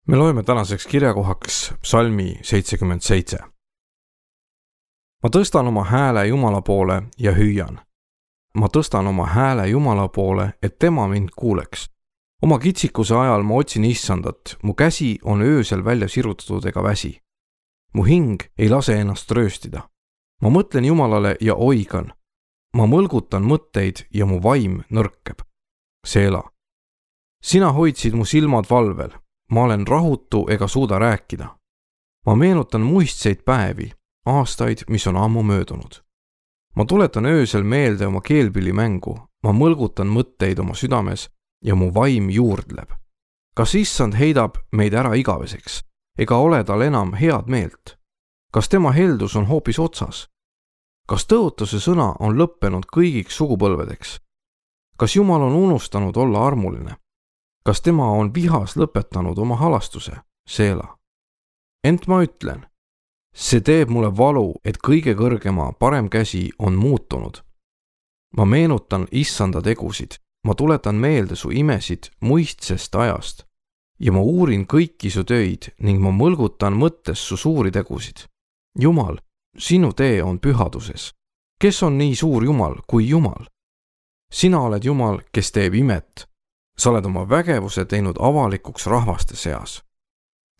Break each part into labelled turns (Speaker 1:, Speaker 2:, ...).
Speaker 1: Me loeme tänaseks kirjakohaks psalmi 77. Ma tõstan oma hääle Jumala poole ja hüüan. Ma tõstan oma hääle Jumala poole, et tema mind kuuleks. Oma kitsikuse ajal ma otsin Issandat, mu käsi on öösel välja sirutatud ega väsi. Mu hing ei lase ennast rööstida. Ma mõtlen Jumalale ja oigan. Ma mõlgutan mõtteid ja mu vaim nõrkeb. Seela. Sina hoidsid mu silmad valvel. Ma olen rahutu ega suuda rääkida. Ma meenutan muistseid päevi, aastaid, mis on ammu möödunud. Ma tuletan öösel meelde oma keelpillimängu, ma mõlgutan mõtteid oma südames ja mu vaim juurdleb. Kas Issand heidab meid ära igaveseks, ega ole tal enam head meelt? Kas tema heldus on hoopis otsas? Kas tõotuse sõna on lõppenud kõigiks sugupõlvedeks? Kas Jumal on unustanud olla armuline? Kas tema on vihas lõpetanud oma halastuse? Seela. Ent ma ütlen, see teeb mulle valu, et kõige kõrgema parem käsi on muutunud. Ma meenutan Issanda tegusid, ma tuletan meelde su imesid muistsest ajast ja ma uurin kõiki su töid ning ma mõlgutan mõttes su suuri tegusid. Jumal, sinu tee on pühaduses. Kes on nii suur Jumal kui Jumal? Sina oled Jumal, kes teeb imet. Sa oled oma vägevuse teinud avalikuks rahvaste seas.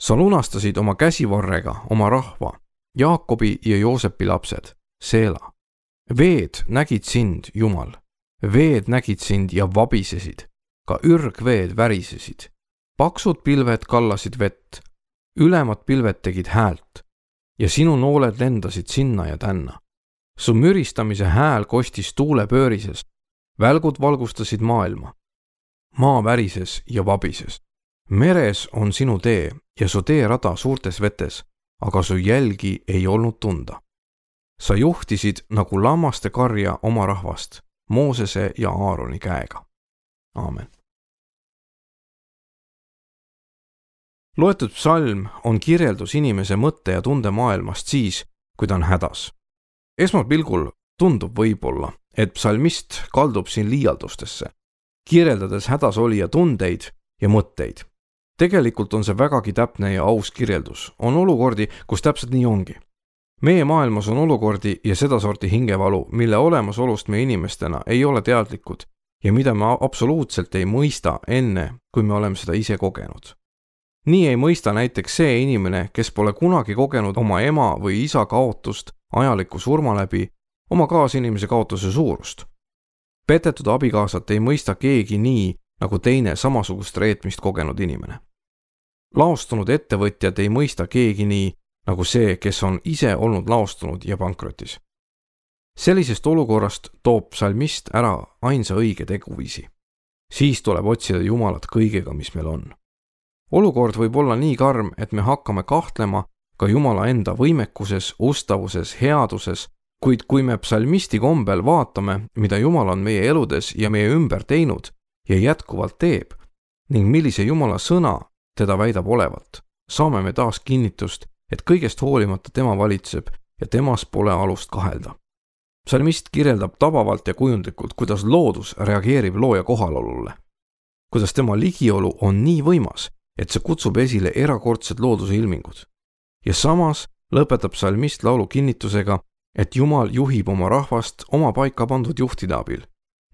Speaker 1: Sa lunastasid oma käsivarrega oma rahva, Jaakobi ja Joosepi lapsed, Seela. Veed nägid sind, Jumal. Veed nägid sind ja vabisesid. Ka ürgveed värisesid. Paksud pilved kallasid vett. Ülemad pilved tegid häält. Ja sinu nooled lendasid sinna ja tänna. Su müristamise hääl kostis tuule pöörises. Välgud valgustasid maailma. Maa värises ja vabises. Meres on sinu tee ja su teerada suurtes vetes, aga su jälgi ei olnud tunda. Sa juhtisid nagu lammaste karja oma rahvast, Moosese ja Aaroni käega. Aamen. Loetud psalm on kirjeldus inimese mõtte ja tunde maailmast siis, kui ta on hädas. Esmapilgul tundub võib-olla, et psalmist kaldub siin liialdustesse, kirjeldades hädasolija tundeid ja mõtteid. Tegelikult on see vägagi täpne ja aus kirjeldus. On olukordi, kus täpselt nii ongi. Meie maailmas on olukordi ja sedasorti hingevalu, mille olemasolust me inimestena ei ole teadlikud ja mida me absoluutselt ei mõista enne, kui me oleme seda ise kogenud. Nii ei mõista näiteks see inimene, kes pole kunagi kogenud oma ema või isa kaotust ajaliku surma läbi, oma kaasinimese kaotuse suurust. Petetud abikaasat ei mõista keegi nii, nagu teine samasugust reetmist kogenud inimene. Laostunud ettevõtjad ei mõista keegi nii, nagu see, kes on ise olnud laostunud ja pankrotis. Sellisest olukorrast toob psalmist ära ainsa õige teguviisi. Siis tuleb otsida Jumalat kõigega, mis meil on. Olukord võib olla nii karm, et me hakkame kahtlema ka Jumala enda võimekuses, ustavuses, headuses, kuid kui me psalmisti kombel vaatame, mida Jumal on meie eludes ja meie ümber teinud ja jätkuvalt teeb, ning millise Jumala sõna teda väidab olevat, saame me taas kinnitust, et kõigest hoolimata tema valitseb ja temas pole alust kahelda. Psalmist kirjeldab tabavalt ja kujundlikult, kuidas loodus reageerib looja kohalolule. Kuidas tema ligiolu on nii võimas, et see kutsub esile erakordsed looduse ilmingud. Ja samas lõpetab psalmist laulu kinnitusega, et Jumal juhib oma rahvast oma paika pandud juhtide abil,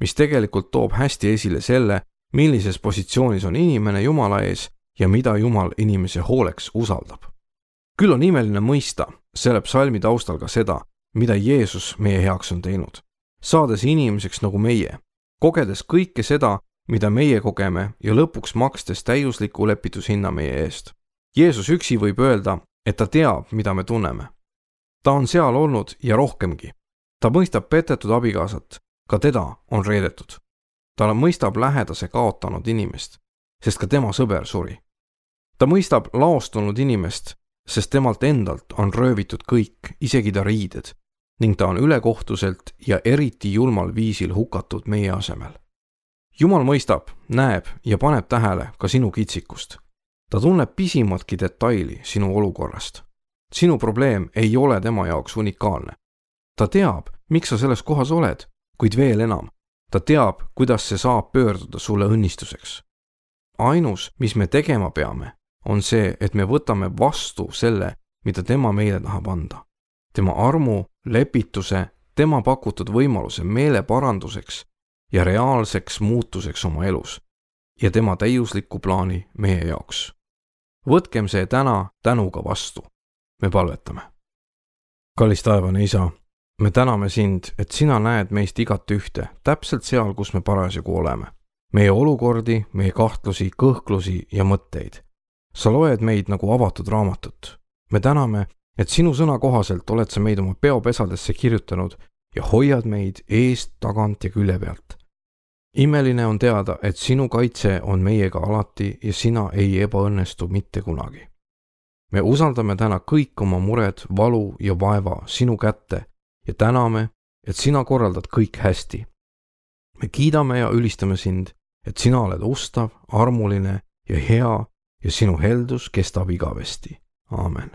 Speaker 1: mis tegelikult toob hästi esile selle, millises positsioonis on inimene Jumala ees ja mida Jumal inimese hooleks usaldab. Küll on imeline mõista selle psalmi taustal ka seda, mida Jeesus meie heaks on teinud, saades inimeseks nagu meie, kogedes kõike seda, mida meie kogeme ja lõpuks makstes täiusliku lepitushinna meie eest. Jeesus üksi võib öelda, et ta teab, mida me tunneme. Ta on seal olnud ja rohkemgi. Ta mõistab petetud abikaasat, ka teda on reedetud. Ta mõistab lähedase kaotanud inimest, sest ka tema sõber suri. Ta mõistab laostunud inimest, sest temalt endalt on röövitud kõik, isegi ta riided, ning ta on ülekohtuselt ja eriti julmal viisil hukatud meie asemel. Jumal mõistab, näeb ja paneb tähele ka sinu kitsikust. Ta tunneb pisimatki detaili sinu olukorrast. Sinu probleem ei ole tema jaoks unikaalne. Ta teab, miks sa selles kohas oled, kuid veel enam. Ta teab, kuidas see saab pöörduda sulle õnnistuseks. Ainus, mis me tegema peame, on see, et me võtame vastu selle, mida tema meile tahab anda. Tema armu, lepituse, tema pakutud võimaluse meeleparanduseks ja reaalseks muutuseks oma elus ja tema täiuslikku plaani meie jaoks. Võtkem see täna tänuga vastu. Me palvetame. Kallis taevane Isa, me täname sind, et sina näed meist igat ühte, täpselt seal, kus me parasjagu oleme. Meie olukordi, meie kahtlusi, kõhklusi ja mõtteid. Sa loed meid nagu avatud raamatut. Me täname, et sinu sõna kohaselt oled sa meid oma peopesadesse kirjutanud ja hoiad meid eest, tagant ja külje pealt. Imeline on teada, et sinu kaitse on meiega alati ja sina ei ebaõnnestu mitte kunagi. Me usaldame täna kõik oma mured, valu ja vaeva sinu kätte ja täname, et sina korraldad kõik hästi. Me kiidame ja ülistame sind, et sina oled ustav, armuline ja hea ja sinu heldus kestab igavesti. Aamen.